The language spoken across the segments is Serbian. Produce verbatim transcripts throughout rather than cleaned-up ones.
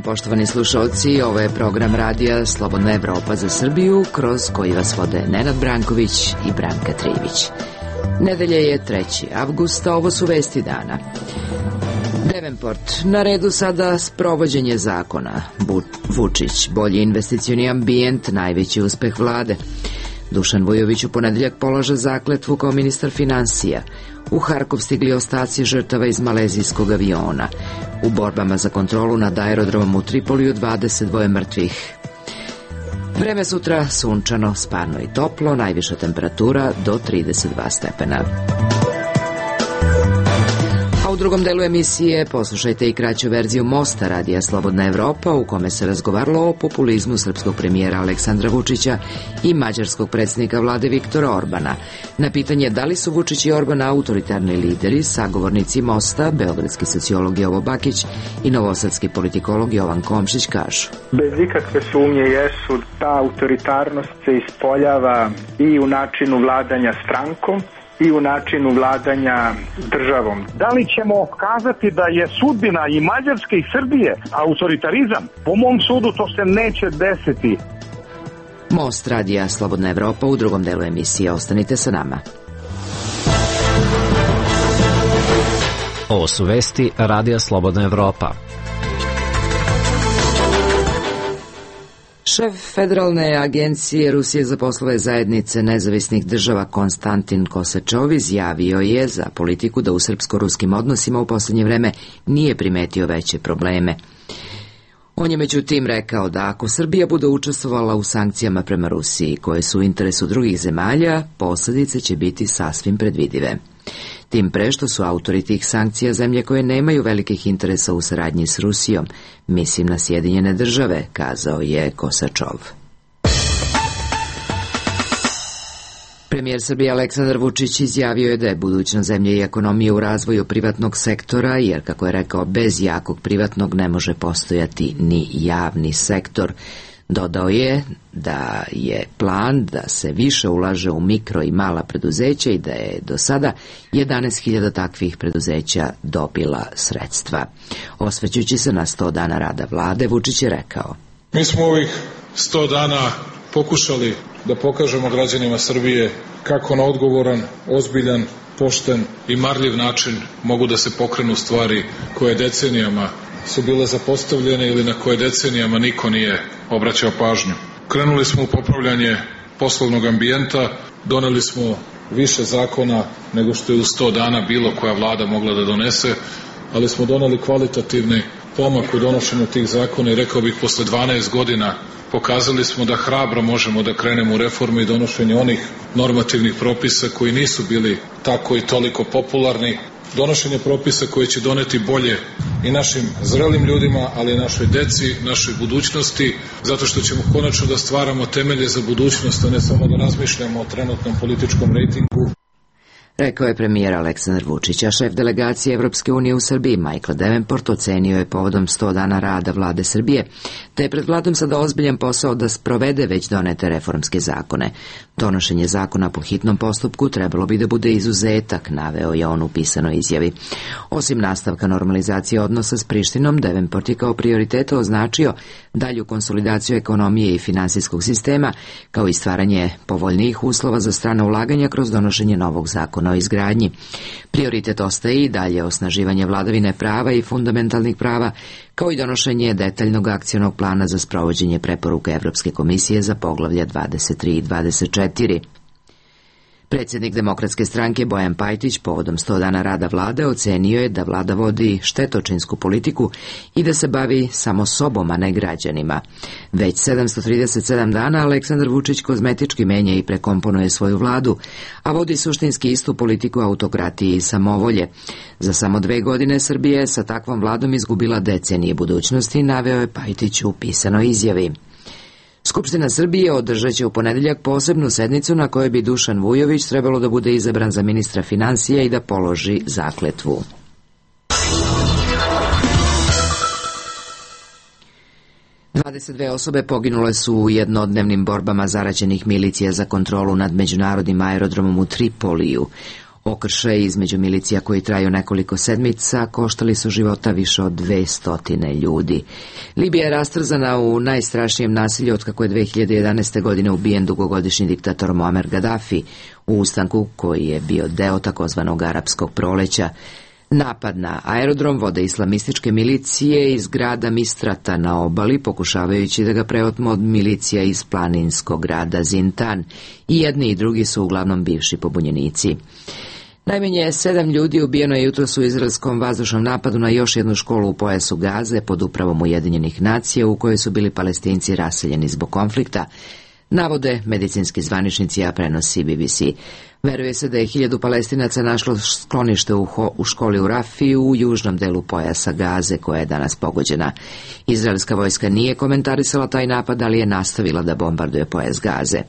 dan, poštovani slušalci, ovo je program radija Slobodna Evropa za Srbiju, kroz koji vas vode Nenad Branković i Branka Trivić. Nedelje je treći avgust, a ovo su vesti dana. Devenport, na redu sada sprovođenje zakona. Vučić, bolji investicioni ambijent, najveći uspeh vlade. Dušan Vujović u ponedeljak polaže zakletvu kao ministar finansija. U Harkov stigli ostaci žrtava iz malezijskog aviona. U borbama za kontrolu nad aerodromom u Tripoliju dvadeset dva mrtvih. Vreme sutra sunčano, sparno i toplo, najviša temperatura do trideset dva stepena. U drugom delu emisije poslušajte i kraću verziju Mosta radija Slobodna Evropa, u kome se razgovaralo o populizmu srpskog premijera Aleksandra Vučića i mađarskog predsjednika vlade Viktora Orbana. Na pitanje da li su Vučić i Orban autoritarni lideri, sagovornici Mosta, beogradski sociolog Jovo Bakić i novosadski politikolog Jovan Komšić kažu: Bez ikakve sumnje jesu, ta autoritarnost se ispoljava i u načinu vladanja strankom i u načinu vladanja državom. Da li ćemo kazati da je sudbina i Mađarske i Srbije autoritarizam? Po mom sudu to se neće desiti. Most radija Slobodna Evropa u drugom delu emisije. Ostanite sa nama. Ovo su vesti radija Slobodna Evropa. Šef Federalne agencije Rusije za poslove zajednice nezavisnih država Konstantin Kosačov izjavio je za politiku da u srpsko-ruskim odnosima u posljednje vreme nije primetio veće probleme. On je međutim rekao da ako Srbija bude učestvovala u sankcijama prema Rusiji koje su u interesu drugih zemalja, posljedice će biti sasvim predvidive. Tim pre što su autori tih sankcija zemlje koje nemaju velikih interesa u saradnji s Rusijom, mislim na Sjedinjene države, kazao je Kosačov. Premijer Srbije Aleksandar Vučić izjavio je da je budućnost zemlje i ekonomije u razvoju privatnog sektora, jer, kako je rekao, bez jakog privatnog ne može postojati ni javni sektor. Dodao je da je plan da se više ulaže u mikro i mala preduzeća i da je do sada jedanaest hiljada takvih preduzeća dobila sredstva. Osvrćući se na sto dana rada vlade, Vučić je rekao: Mi smo ovih sto dana pokušali da pokažemo građanima Srbije kako na odgovoran, ozbiljan, pošten i marljiv način mogu da se pokrenu stvari koje decenijama su bile zapostavljene ili na koje decenijama niko nije obraćao pažnju. Krenuli smo u popravljanje poslovnog ambijenta, doneli smo više zakona nego što je u sto dana bilo koja vlada mogla da donese, ali smo doneli kvalitativni pomak u donošenju tih zakona i rekao bih posle dvanaest godina pokazali smo da hrabro možemo da krenemo u reformu i donošenje onih normativnih propisa koji nisu bili tako i toliko popularni, donošenje propisa koje će doneti bolje i našim zrelim ljudima, ali i našoj deci, našoj budućnosti, zato što ćemo konačno da stvaramo temelje za budućnost, a ne samo da razmišljamo o trenutnom političkom rejtingu. Rekao je premijer Aleksandar Vučić, a šef delegacije Evropske unije u Srbiji Michael Devenport ocenio je povodom sto dana rada vlade Srbije, te je pred vladom sada ozbiljan posao da sprovede već donete reformske zakone. Donošenje zakona po hitnom postupku trebalo bi da bude izuzetak, naveo je on u pisanoj izjavi. Osim nastavka normalizacije odnosa s Prištinom, Devenport je kao prioritet označio dalju konsolidaciju ekonomije i finansijskog sistema, kao i stvaranje povoljnijih uslova za strana ulaganja kroz donošenje novog zakona o izgradnji. Prioritet ostaje i dalje osnaživanje vladavine prava i fundamentalnih prava, kao i donošenje detaljnog akcionog plana za sprovođenje preporuka Evropske komisije za poglavlja dvadeset tri i dvadeset četiri. Predsjednik Demokratske stranke Bojan Pajtić povodom sto dana rada vlade ocenio je da vlada vodi štetočinsku politiku i da se bavi samo sobom, a ne građanima. Već sedamsto trideset sedam dana Aleksandar Vučić kozmetički menja i prekomponuje svoju vladu, a vodi suštinski istu politiku autokratije i samovolje. Za samo dve godine Srbija je sa takvom vladom izgubila decenije budućnosti, naveo je Pajtić u pisanoj izjavi. Skupština Srbije održat će u ponedeljak posebnu sednicu na kojoj bi Dušan Vujović trebalo da bude izabran za ministra finansija i da položi zakletvu. dvadeset dve osobe poginule su u jednodnevnim borbama zaraćenih milicija za kontrolu nad međunarodnim aerodromom u Tripoliju. Okršaji između milicija koji traju nekoliko sedmica koštali su života više od dvesta ljudi. Libija je rastrzana u najstrašnijem nasilju otkako je dve hiljade jedanaeste. godine ubijen dugogodišnji diktator Muammar Gaddafi u ustanku koji je bio deo takozvanog arapskog proleća. Napad na aerodrom vode islamističke milicije iz grada Mistrata na obali, pokušavajući da ga preotmu od milicija iz planinskog grada Zintan. I jedni i drugi su uglavnom bivši pobunjenici. Najmanje sedam ljudi ubijeno je jutros u izraelskom vazdušnom napadu na još jednu školu u pojasu Gaze pod upravom Ujedinjenih nacija u kojoj su bili Palestinci raseljeni zbog konflikta, navode medicinski zvaničnici, a prenosi B B C. Veruje se da je hiljadu Palestinaca našlo sklonište u, ho, u školi u Rafiju u južnom delu pojasa Gaze koja je danas pogođena. Izraelska vojska nije komentarisala taj napad, ali je nastavila da bombarduje pojas Gaze.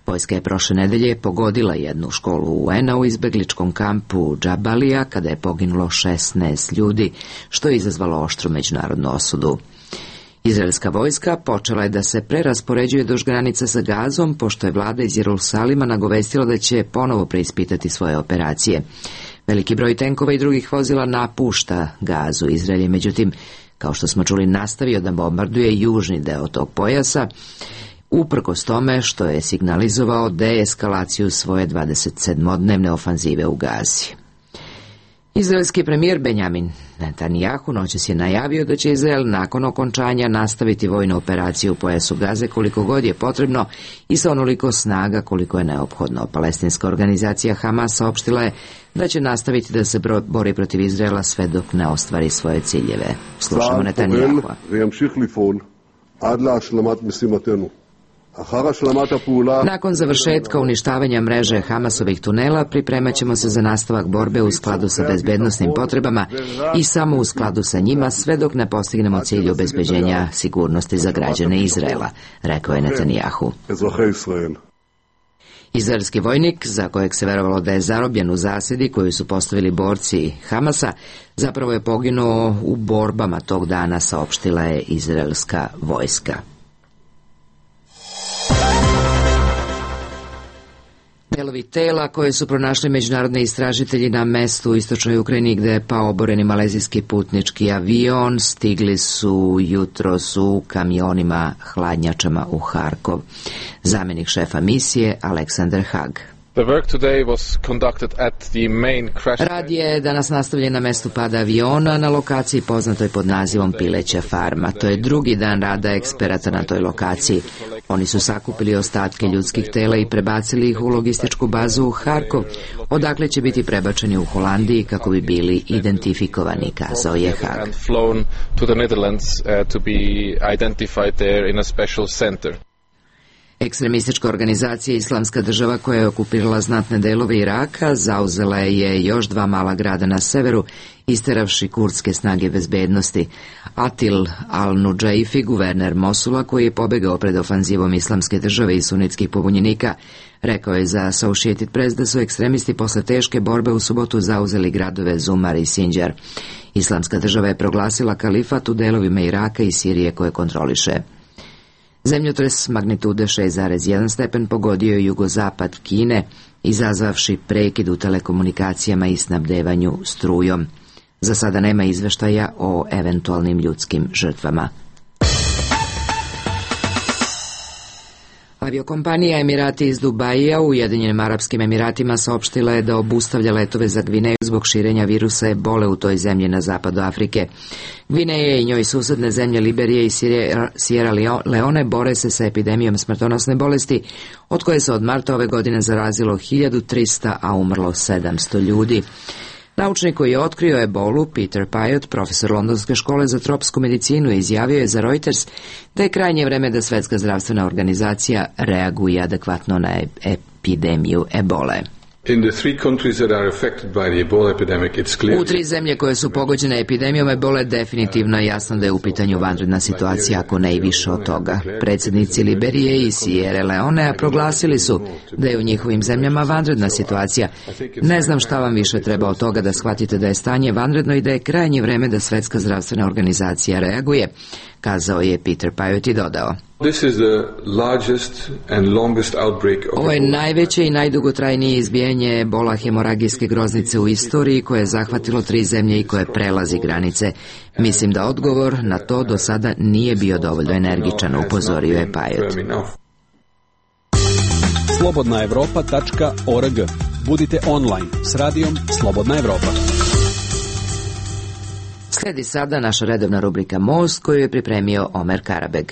Vojska je prošle nedelje pogodila jednu školu U N-a u izbegličkom kampu Džabalija kada je poginulo šesnaest ljudi, što je izazvalo oštru međunarodnu osudu. Izraelska vojska počela je da se preraspoređuje duž granica sa Gazom, pošto je vlada iz Jerusalima nagovestila da će ponovo preispitati svoje operacije. Veliki broj tenkova i drugih vozila napušta Gazu. Izrael je, međutim, kao što smo čuli, nastavio da bombarduje južni deo tog pojasa, uprkos tome što je signalizovao deeskalaciju svoje dvadesetsedmodnevne ofanzive u Gazi. Izraelski premijer Benjamin Netanjahu noćas je najavio da će Izrael nakon okončanja nastaviti vojnu operaciju u pojasu Gaze koliko god je potrebno i sa onoliko snaga koliko je neophodno. Palestinska organizacija Hamas saopštila je da će nastaviti da se bori protiv Izraela sve dok ne ostvari svoje ciljeve. Slušamo Netanjahua. Nakon završetka uništavanja mreže Hamasovih tunela pripremat ćemo se za nastavak borbe u skladu sa bezbednosnim potrebama i samo u skladu sa njima sve dok ne postignemo cilj obezbeđenja sigurnosti za građane Izraela, rekao je Netanjahu. Izraelski vojnik, za kojeg se verovalo da je zarobljen u zasedi koju su postavili borci Hamasa, zapravo je poginuo u borbama tog dana, saopštila je izraelska vojska. Delovi tela koje su pronašli međunarodni istražitelji na mestu u istočnoj Ukrajini gde je pao oboreni malezijski putnički avion stigli su jutros u kamionima hladnjačama u Harkov. Zamenik šefa misije Aleksandar Hag. Rad je danas nastavljen na mestu pada aviona na lokaciji poznatoj pod nazivom Pileća farma. To je drugi dan rada eksperata na toj lokaciji. Oni su sakupili ostatke ljudskih tela i prebacili ih u logističku bazu u Harkov, odakle će biti prebačeni u Holandiji kako bi bili identifikovani, kazao je Hag. Ekstremistička organizacija Islamska država koja je okupirala znatne delove Iraka zauzela je još dva mala grada na severu, isteravši kurdske snage bezbednosti. Atil al-Nudžaifi, guverner Mosula, koji je pobegao pred ofanzivom Islamske države i sunitskih pobunjenika, rekao je za Associated Press da su ekstremisti posle teške borbe u subotu zauzeli gradove Zumar i Sinjar. Islamska država je proglasila kalifat u delovima Iraka i Sirije koje kontroliše. Zemljotres magnitude šest zarez jedan stepen pogodio je jugozapad Kine, izazvavši prekid u telekomunikacijama i snabdevanju strujom. Za sada nema izveštaja o eventualnim ljudskim žrtvama. Aviokompanija Emirati iz Dubaija u Ujedinjenim Arapskim Emiratima saopštila je da obustavlja letove za Gvineju zbog širenja virusa ebole u toj zemlji na zapadu Afrike. Gvineja i njoj susedne zemlje Liberije i Sierra Leone bore se sa epidemijom smrtonosne bolesti, od koje se od marta ove godine zarazilo hiljadu trista, a umrlo sedamsto ljudi. Naučnik koji je otkrio ebolu, Peter Payot, profesor Londonske škole za tropsku medicinu, izjavio je za Reuters da je krajnje vreme da Svetska zdravstvena organizacija reaguje adekvatno na epidemiju ebole. U tri zemlje koje su pogođene epidemijom ebole definitivno je jasno da je u pitanju vanredna situacija, ako ne i više od toga. Predsjednici Liberije i Sierra Leonea proglasili su da je u njihovim zemljama vanredna situacija. Ne znam šta vam više treba od toga da shvatite da je stanje vanredno i da je krajnje vreme da Svetska zdravstvena organizacija reaguje, kazao je Peter Pajot i dodao. This is the largest and longest outbreak of Ovo je najveće i najdugotrajnije izbijanje ebola hemoragijske groznice u istoriji koje je zahvatilo tri zemlje i koje prelazi granice. Mislim da odgovor na to do sada nije bio dovoljno energičan, upozorio je Pajot. slobodna evropa tačka org. Budite online s radijom Slobodna Evropa. Sledi sada naša redovna rubrika Most koju je pripremio Omer Karabeg.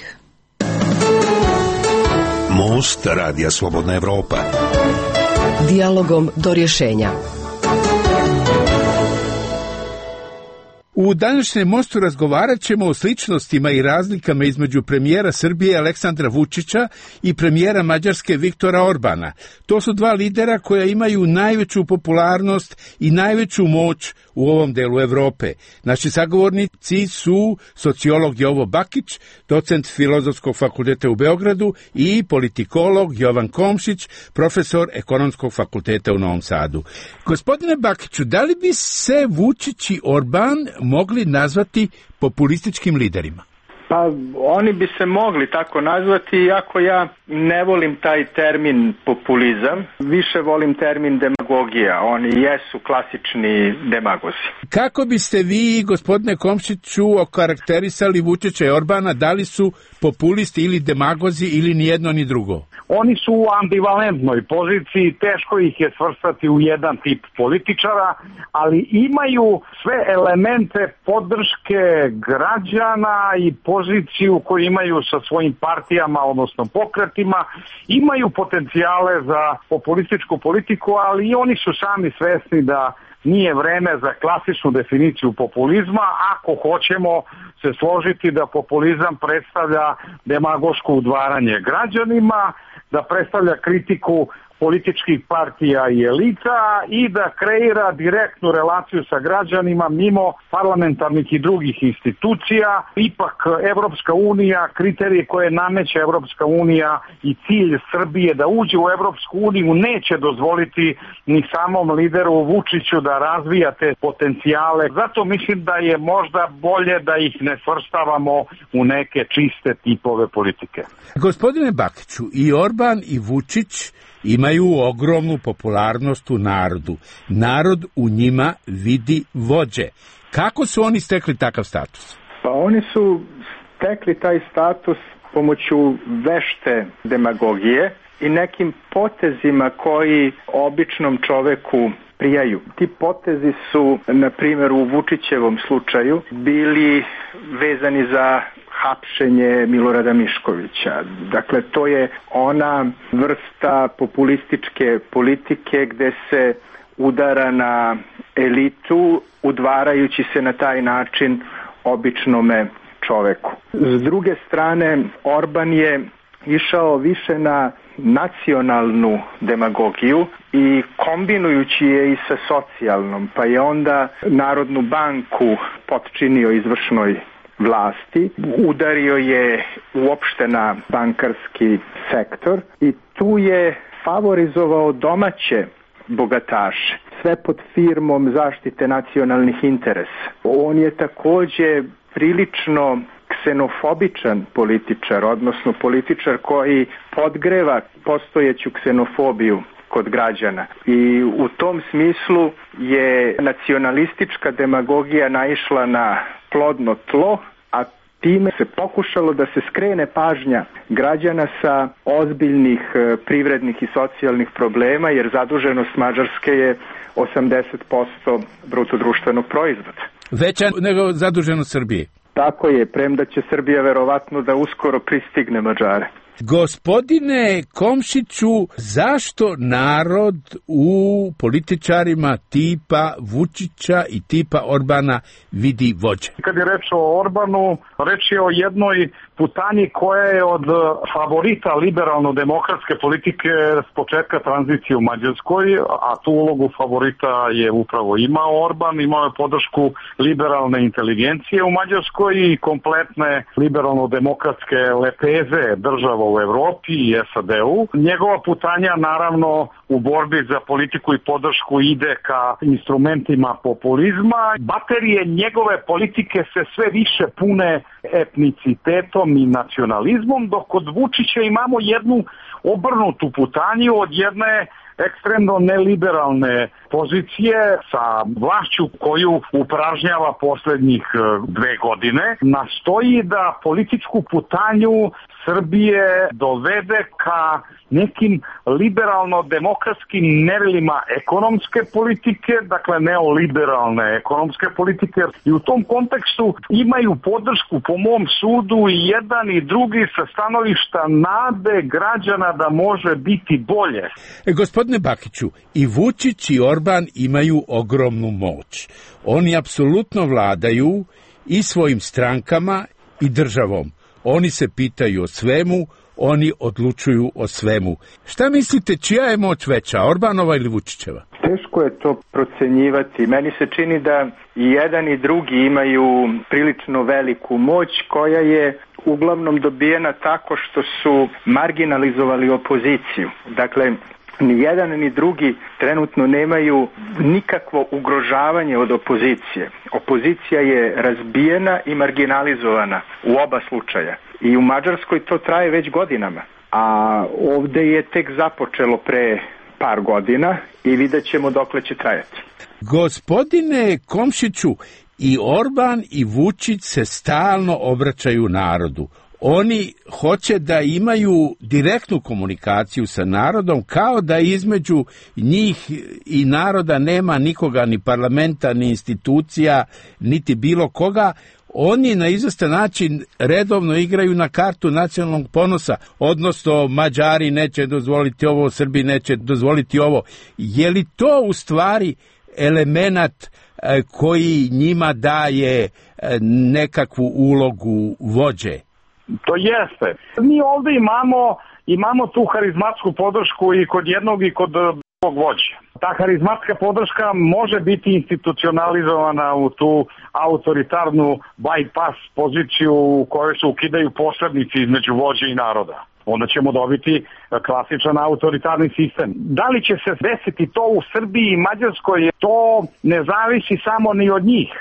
Most radija Slobodna Evropa. Dijalogom do rješenja. U današnjem Mostu razgovarat ćemo o sličnostima i razlikama između premijera Srbije Aleksandra Vučića i premijera Mađarske Viktora Orbana. To su dva lidera koja imaju najveću popularnost i najveću moć u ovom delu Evrope. Naši sagovornici su sociolog Jovo Bakić, docent Filozofskog fakulteta u Beogradu i politikolog Jovan Komšić, profesor Ekonomskog fakulteta u Novom Sadu. Gospodine Bakiću, da li bi se Vučić i Orban mogli nazvati populističkim liderima? Pa oni bi se mogli tako nazvati, iako ja ne volim taj termin populizam, više volim termin demagogija. Oni jesu klasični demagozi. Kako biste vi, gospodine Komšiću, okarakterisali Vučića i Orbana, da li su populisti ili demagozi ili ni jedno ni drugo? Oni su u ambivalentnoj poziciji, teško ih je svrstati u jedan tip političara, ali imaju sve elemente podrške građana i poziciju koju imaju sa svojim partijama, odnosno pokretima, imaju potencijale za populističku politiku, ali i oni su sami svesni da nije vreme za klasičnu definiciju populizma, ako hoćemo se složiti da populizam predstavlja demagoško udvaranje građanima, da predstavlja kritiku političkih partija i elita i da kreira direktnu relaciju sa građanima mimo parlamentarnih i drugih institucija. Ipak Evropska unija, kriterije koje nameće Evropska unija i cilj Srbije da uđe u Evropsku uniju neće dozvoliti ni samom lideru Vučiću da razvija te potencijale. Zato mislim da je možda bolje da ih ne svrstavamo u neke čiste tipove politike. Gospodine Bakiću, i Orban i Vučić imaju ogromnu popularnost u narodu. Narod u njima vidi vođe. Kako su oni stekli takav status? Pa oni su stekli taj status pomoću vešte demagogije i nekim potezima koji običnom čoveku prijaju. Ti potezi su, na primjer u Vučićevom slučaju, bili vezani za hapšenje Milorada Miškovića. Dakle, to je ona vrsta populističke politike gde se udara na elitu, udvarajući se na taj način običnome čoveku. S druge strane, Orban je išao više na nacionalnu demagogiju i kombinujući je i sa socijalnom, pa je onda Narodnu banku potčinio izvršnoj vlasti, udario je uopšte na bankarski sektor i tu je favorizovao domaće bogataše, sve pod firmom zaštite nacionalnih interesa. On je takođe prilično ksenofobičan političar, odnosno političar koji podgreva postojeću ksenofobiju kod građana. I u tom smislu je nacionalistička demagogija naišla na plodno tlo, a time se pokušalo da se skrene pažnja građana sa ozbiljnih privrednih i socijalnih problema, jer zaduženost Mađarske je osamdeset posto bruto društvenog proizvoda. Veća nego zaduženost Srbije. Tako je, premda će Srbija verovatno da uskoro pristigne Mađare. Gospodine Komšiću, zašto narod u političarima tipa Vučića i tipa Orbana vidi vođe? Kad je reč o Orbanu, reč je o jednoj putanji koja je od favorita liberalno-demokratske politike s početka tranzicije u Mađarskoj, a tu ulogu favorita je upravo imao Orban, imao je podršku liberalne inteligencije u Mađarskoj i kompletne liberalno-demokratske lepeze država u Evropi i S A D-u. Njegova putanja naravno u borbi za politiku i podršku ide ka instrumentima populizma. Baterije njegove politike se sve više pune etnicitetom i nacionalizmom, dok kod Vučića imamo jednu obrnutu putanju od jedne ekstremno neliberalne pozicije sa vlašću koju upražnjava poslednjih dve godine, nastoji da političku putanju Srbije dovede ka nekim liberalno-demokratskim merilima ekonomske politike, dakle neoliberalne ekonomske politike, i u tom kontekstu imaju podršku po mom sudu i jedan i drugi sa stanovišta nade građana da može biti bolje. E, gospodine Bakiću, i Vučić i Orban imaju ogromnu moć. Oni apsolutno vladaju i svojim strankama i državom. Oni se pitaju o svemu, oni odlučuju o svemu. Šta mislite, čija je moć veća, Orbanova ili Vučićeva? Teško je to procenjivati. Meni se čini da i jedan i drugi imaju prilično veliku moć koja je uglavnom dobijena tako što su marginalizovali opoziciju. Dakle, ni jedan ni drugi trenutno nemaju nikakvo ugrožavanje od opozicije. Opozicija je razbijena i marginalizovana u oba slučaja. I u Mađarskoj to traje već godinama. A ovde je tek započelo pre par godina i vidjet ćemo dokle će trajati. Gospodine Komšiću, i Orban i Vučić se stalno obraćaju narodu. Oni hoće da imaju direktnu komunikaciju sa narodom, kao da između njih i naroda nema nikoga, ni parlamenta, ni institucija, niti bilo koga. Oni na izvestan način redovno igraju na kartu nacionalnog ponosa, odnosno Mađari neće dozvoliti ovo, Srbi neće dozvoliti ovo. Je li to u stvari elemenat koji njima daje nekakvu ulogu vođe? To jeste. Mi ovde imamo, imamo tu harizmatsku podršku i kod jednog i kod drugog vođa. Ta harizmatska podrška može biti institucionalizovana u tu autoritarnu bypass poziciju u kojoj se ukidaju posrednici između vođe i naroda. Onda ćemo dobiti klasičan autoritarni sistem. Da li će se desiti to u Srbiji i Mađarskoj, to ne zavisi samo ni od njih.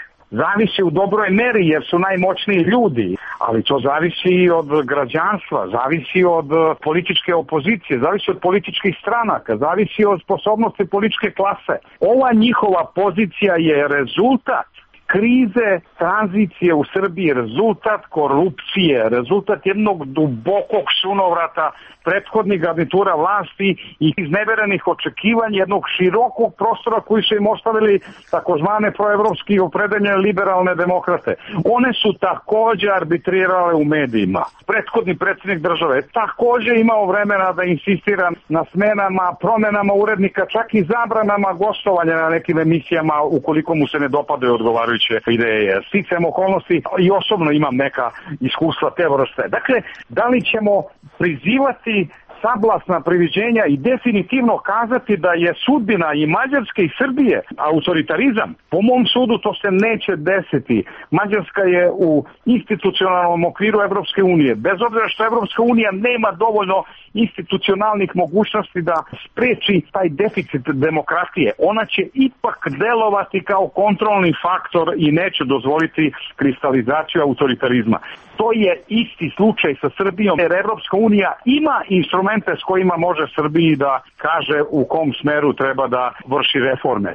Zavisi u dobroj meri jer su najmoćniji ljudi, ali to zavisi i od građanstva, zavisi od političke opozicije, zavisi od političkih stranaka, zavisi od sposobnosti političke klase. Ova njihova pozicija je rezultat krize, tranzicije u Srbiji, rezultat korupcije, rezultat jednog dubokog sunovrata prethodnih garnitura vlasti i izneverenih očekivanja jednog širokog prostora koji su im ostavili takozvane proevropski opredeljene liberalne demokrate. One su takođe arbitrirale u medijima. Prethodni predsjednik države je takođe imao vremena da insistira na smenama, promenama urednika, čak i zabranama gostovanja na nekim emisijama ukoliko mu se ne dopadaju odgovarajuće ideje. Sticajem okolnosti i osobno imam neka iskustva te vrste. Dakle, da li ćemo prizivati sablasna priviđenja i definitivno kazati da je sudbina i Mađarske i Srbije autoritarizam? Po mom sudu to se neće desiti. Mađarska je u institucionalnom okviru Evropske unije. Bez obzira što Evropska unija nema dovoljno institucionalnih mogućnosti da spreči taj deficit demokratije, ona će ipak delovati kao kontrolni faktor i neće dozvoliti kristalizaciju autoritarizma. To je isti slučaj sa Srbijom, jer Evropska unija ima instrumente s kojima može Srbiji da kaže u kom smeru treba da vrši reforme.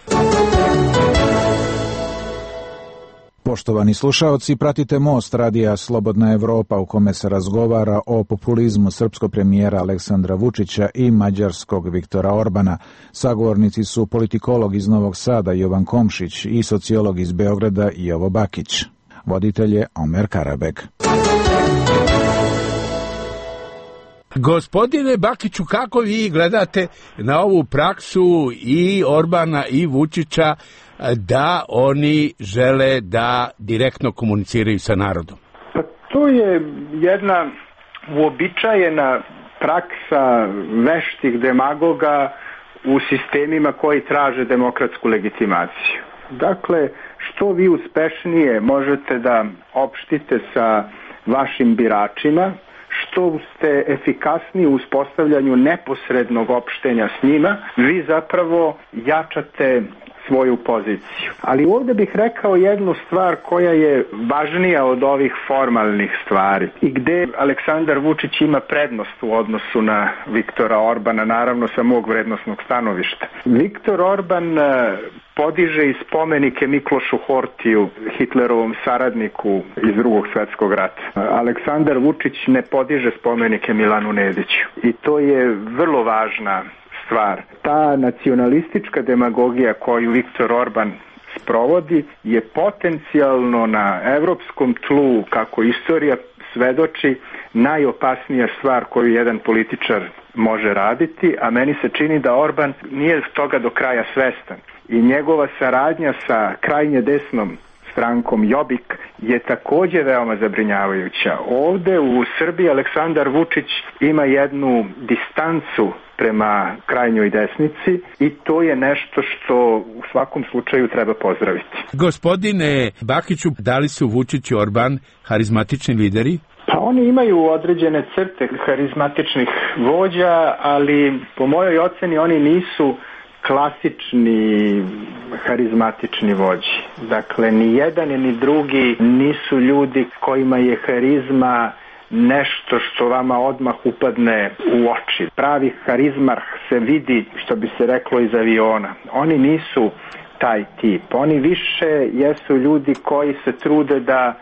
Poštovani slušaoci, pratite Most radija Slobodna Evropa u kome se razgovara o populizmu srpskog premijera Aleksandra Vučića i mađarskog Viktora Orbana. Sagovornici su politikolog iz Novog Sada Jovan Komšić i sociolog iz Beograda Jovo Bakić. Voditelj je Omer Karabek. Gospodine Bakiću, kako vi gledate na ovu praksu i Orbana i Vučića da oni žele da direktno komuniciraju sa narodom? Pa to je jedna uobičajena praksa veštih demagoga u sistemima koji traže demokratsku legitimaciju. Dakle, što vi uspešnije možete da opštite sa vašim biračima, što što ste efikasniji u uspostavljanju neposrednog opštenja s njima, vi zapravo jačate svoju poziciju. Ali ovdje bih rekao jednu stvar koja je važnija od ovih formalnih stvari i gde Aleksandar Vučić ima prednost u odnosu na Viktora Orbana, naravno sa mog vrednosnog stanovišta. Viktor Orban podiže i spomenike Miklošu Hortiju, Hitlerovom saradniku iz drugog svjetskog rata. Aleksandar Vučić ne podiže spomenike Milanu Nediću i to je vrlo važna stvar. Ta nacionalistička demagogija koju Viktor Orban sprovodi je potencijalno na evropskom tlu, kako istorija svedoči, najopasnija stvar koju jedan političar može raditi, a meni se čini da Orban nije toga do kraja svestan. I njegova saradnja sa krajnje desnom strankom Jobbik je također veoma zabrinjavajuća. Ovde u Srbiji Aleksandar Vučić ima jednu distancu prema krajnjoj desnici i to je nešto što u svakom slučaju treba pozdraviti. Gospodine Bakiću, da li su Vučić i Orban harizmatični lideri? Pa oni imaju određene crte harizmatičnih vođa, ali po mojoj oceni oni nisu klasični harizmatični vođi. Dakle, ni jedan ni drugi nisu ljudi kojima je harizma nešto što vama odmah upadne u oči. Pravi harizmarh se vidi, što bi se reklo, iz aviona. Oni nisu taj tip. Oni više jesu ljudi koji se trude da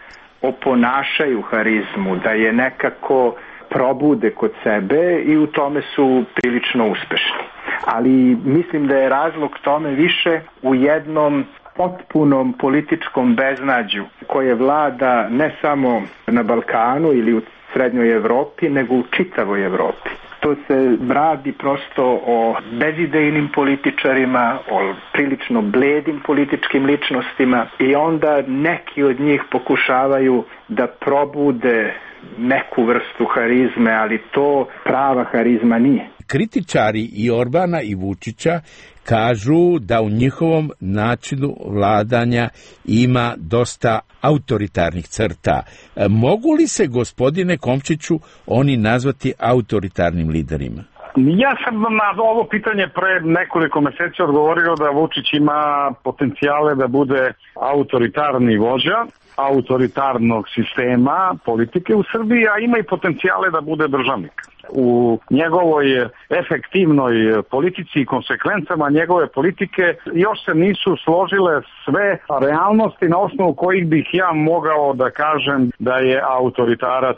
oponašaju harizmu, da je nekako probude kod sebe i u tome su prilično uspešni. Ali mislim da je razlog tome više u jednom potpunom političkom beznađu koje vlada ne samo na Balkanu ili u srednjoj Evropi, nego u čitavoj Evropi. To se radi prosto o bezidejnim političarima, o prilično bledim političkim ličnostima i onda neki od njih pokušavaju da probude neku vrstu harizme, ali to prava harizma nije. Kritičari i Orbana i Vučića kažu da u njihovom načinu vladanja ima dosta autoritarnih crta. Mogu li se, gospodine Komšiću, oni nazvati autoritarnim liderima? Ja sam na ovo pitanje pre nekoliko meseci odgovorio da Vučić ima potencijale da bude autoritarni vođa autoritarnog sistema politike u Srbiji, a ima i potencijale da bude državnik. U njegovoj efektivnoj politici i konsekvencama njegove politike još se nisu složile sve realnosti na osnovu kojih bih ja mogao da kažem da je autoritarac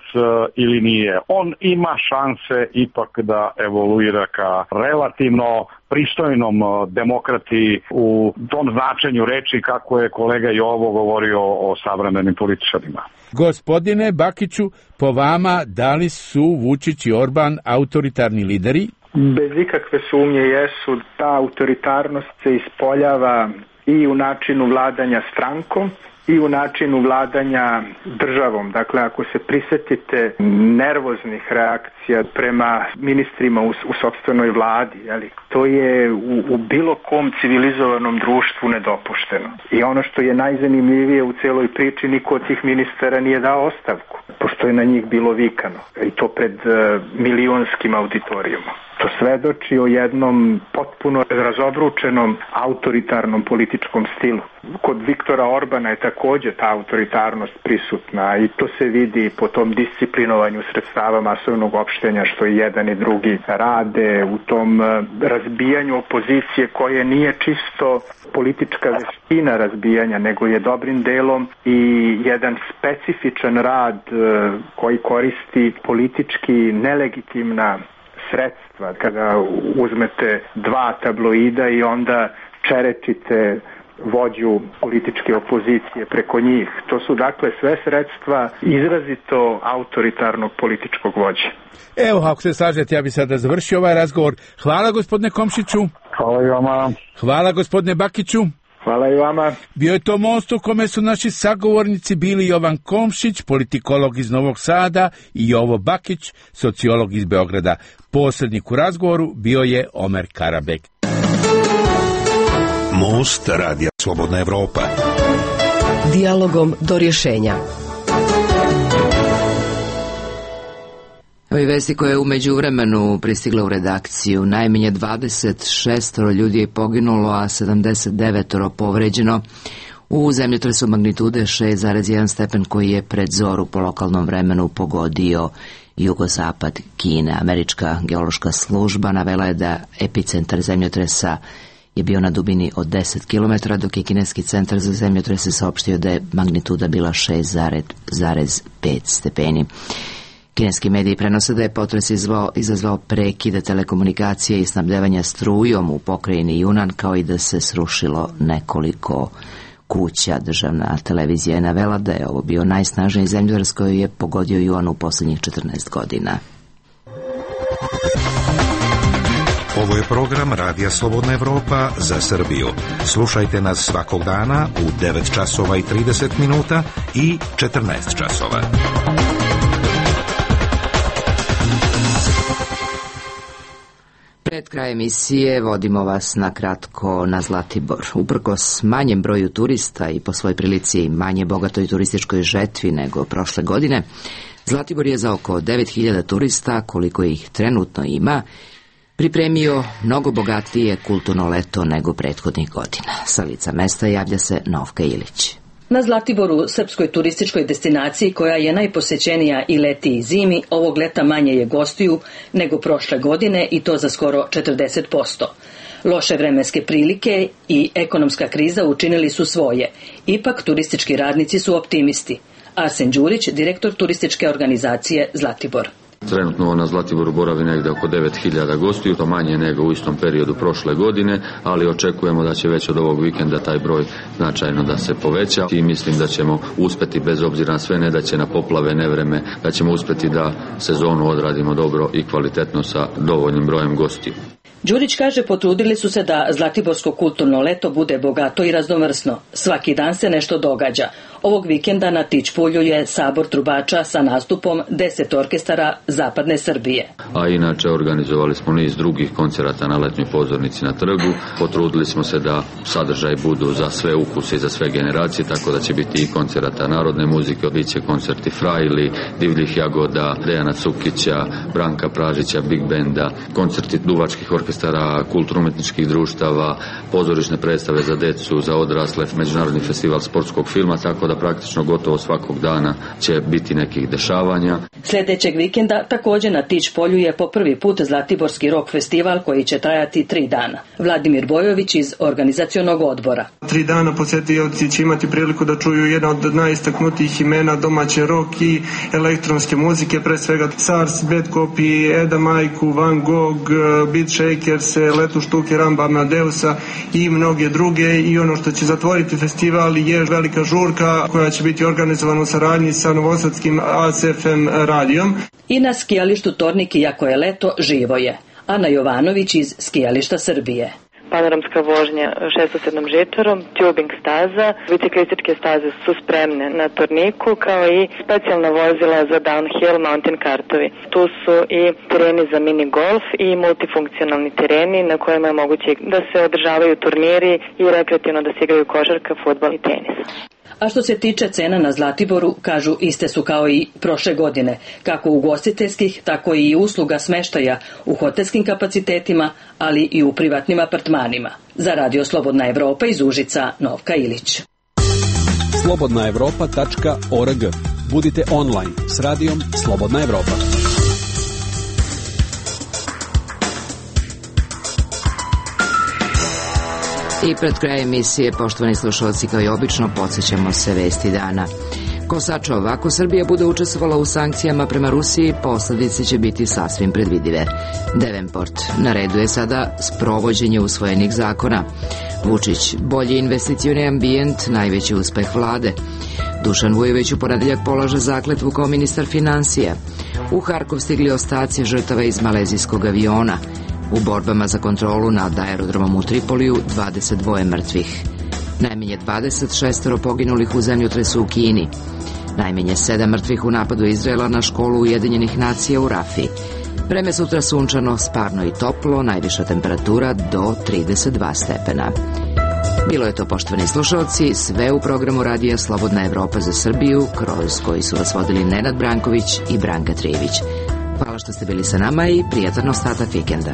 ili nije. On ima šanse ipak da evoluira ka relativno pristojnom demokrati u tom značenju reči kako je kolega Jovo govorio o savremenim političarima. Gospodine Bakiću, po vama, da li su Vučić i Orban autoritarni lideri? Bez ikakve sumnje jesu. Ta autoritarnost se ispoljava i u načinu vladanja strankom i u načinu vladanja državom. Dakle, ako se prisetite nervoznih reakcija prema ministrima u, u sopstvenoj vladi, jeli, to je u, u bilo kom civilizovanom društvu nedopušteno. I ono što je najzanimljivije u celoj priči, niko od tih ministara nije dao ostavku, pošto je na njih bilo vikano. I to pred uh, milionskim auditorijumom. To svedoči o jednom potpuno razobručenom autoritarnom političkom stilu. Kod Viktora Orbana je također ta autoritarnost prisutna i to se vidi po tom disciplinovanju sredstava masovnog opštenja što i jedan i drugi rade, u tom razbijanju opozicije koje nije čisto politička veština razbijanja, nego je dobrim delom i jedan specifičan rad koji koristi politički nelegitimna sredstva. Kada uzmete dva tabloida i onda čerečite vođu političke opozicije preko njih. To su dakle sve sredstva izrazito autoritarnog političkog vođe. Evo, ako se slažete, ja bih sada završio ovaj razgovor. Hvala gospodine Komšiću. Hvala i vama. Hvala gospodine Bakiću. Hvala i vama. Bio je to most u kome su naši sagovornici bili Jovan Komšić, politikolog iz Novog Sada, i Jovo Bakić, sociolog iz Beograda. Posrednik u razgovoru bio je Omer Karabek. Most Radija Slobodna Evropa. Dijalogom do rješenja. Ovi vesti koje je umeđu vremenu pristigla u redakciju. Najmanje dvadeset šest ljudi je poginulo, a sedamdeset devet povređeno u zemljotresu magnitude šest zarez jedan stepen koji je pred zoru po lokalnom vremenu pogodio jugozapad Kine. Američka geološka služba navela je da epicentar zemljotresa je bio na dubini od deset kilometara, dok je kineski centar za zemljotrese saopštio da je magnituda bila šest zarez pet stepeni. Kineski mediji prenose da je potres izvao, izazvao prekide telekomunikacije i snabdevanja strujom u pokrajini Junan, kao i da se srušilo nekoliko kuća. Državna televizija je navela da je ovo bio najsnažniji zemljotres koji je pogodio Juan u posljednjih četrnaest godina. Ovo je program Radija Slobodna Evropa za Srbiju. Slušajte nas svakog dana u devet časova i trideset minuta i četrnaest časova. Pred kraj emisije vodimo vas na kratko na Zlatibor. Uprkos manjem broju turista i po svoj prilici manje bogatoj turističkoj žetvi nego prošle godine, Zlatibor je za oko devet hiljada turista, koliko ih trenutno ima, pripremio mnogo bogatije kulturno leto nego prethodnih godina. Sa lica mesta javlja se Novka Ilić. Na Zlatiboru, srpskoj turističkoj destinaciji koja je najposećenija i leti i zimi, ovog leta manje je gostiju nego prošle godine i to za skoro četrdeset posto. Loše vremenske prilike i ekonomska kriza učinili su svoje. Ipak turistički radnici su optimisti. Arsen Đurić, direktor turističke organizacije Zlatibor. Trenutno na Zlatiboru boravi negdje oko devet hiljada gostiju, to manje nego u istom periodu prošle godine, ali očekujemo da će već od ovog vikenda taj broj značajno da se poveća i mislim da ćemo uspjeti, bez obzira na sve nedaće, na poplave, nevreme, da ćemo uspjeti da sezonu odradimo dobro i kvalitetno sa dovoljnim brojem gostiju. Đurić kaže, potrudili su se da Zlatiborsko kulturno leto bude bogato i raznovrsno. Svaki dan se nešto događa. Ovog vikenda na Tičpulju je sabor trubača sa nastupom deset orkestara zapadne Srbije. A inače organizovali smo niz drugih koncerata na letnjoj pozornici na trgu. Potrudili smo se da sadržaj budu za sve ukuse i za sve generacije, tako da će biti i koncerata narodne muzike, bit će koncerti Frajli, Divljih jagoda, Dejana Cukića, Branka Pražića, Big Benda, koncerti duvačkih orkestara, kulturno-umetničkih društava, pozorišne predstave za decu, za odrasle, međunarodni festival sportskog filma, tako da praktično gotovo svakog dana će biti nekih dešavanja. Sljedećeg vikenda također na Tičpolju je po prvi put Zlatiborski rock festival koji će trajati tri dana. Vladimir Bojović iz organizacionog odbora. Tri dana posjetioci će imati priliku da čuju jedna od najistaknutijih imena domaće rock i elektronske muzike, pre svega Sars, Bad Copy, Eda Majku, Van Gogh, Beat Shakers, Letu Štuke, Ramba Amadeusa i mnoge druge. I ono što će zatvoriti festival je velika žurka koja će biti organizovana u saradnji sa novosadskim A S F M radijom. I na skijalištu Tornik, iako je leto, živo je. Ana Jovanović iz skijališta Srbije. Panoramska vožnja šestosedmom žičarom, tubing staza, biciklističke staze su spremne na Torniku, kao i specijalna vozila za downhill mountain kartovi. Tu su i tereni za mini golf i multifunkcionalni tereni na kojima je moguće da se održavaju turniri i rekreativno da se igraju košarka, fudbal i tenis. A što se tiče cena na Zlatiboru, kažu, iste su kao i prošle godine, kako ugostiteljskih, tako i usluga smeštaja u hotelskim kapacitetima, ali i u privatnim apartmanima. Za Radio Slobodna Evropa iz Užica, Novka Ilić. slobodna evropa tačka org. Budite online s radijom Slobodna Evropa. I pred kraj emisije, poštovani slušalci, kao i obično, podsjećamo se vesti dana. Kosačov, ako Srbija bude učestvovala u sankcijama prema Rusiji, posljedice će biti sasvim predvidive. Devenport, na redu je sada sprovođenje usvojenih zakona. Vučić, bolji investicioni ambijent, najveći uspeh vlade. Dušan Vujović u ponedeljak polaže zakletvu kao ministar financija. U Harkov stigli ostaci žrtava iz malezijskog aviona. U borbama za kontrolu nad aerodromom u Tripoliju dvadeset dva mrtvih. Najmanje dvadeset šest poginulih u zemljotresu u Kini. Najmanje sedam mrtvih u napadu Izraela na školu Ujedinjenih nacija u Rafi. Vreme sutra sunčano, sparno i toplo, najviša temperatura do trideset dva stepena. Bilo je to, poštovani slušalci, sve u programu Radija Slobodna Evropa za Srbiju, kroz koji su vas vodili Nenad Branković i Branka Trijević. Hvala što ste bili sa nama i prijatan ostatak vikenda.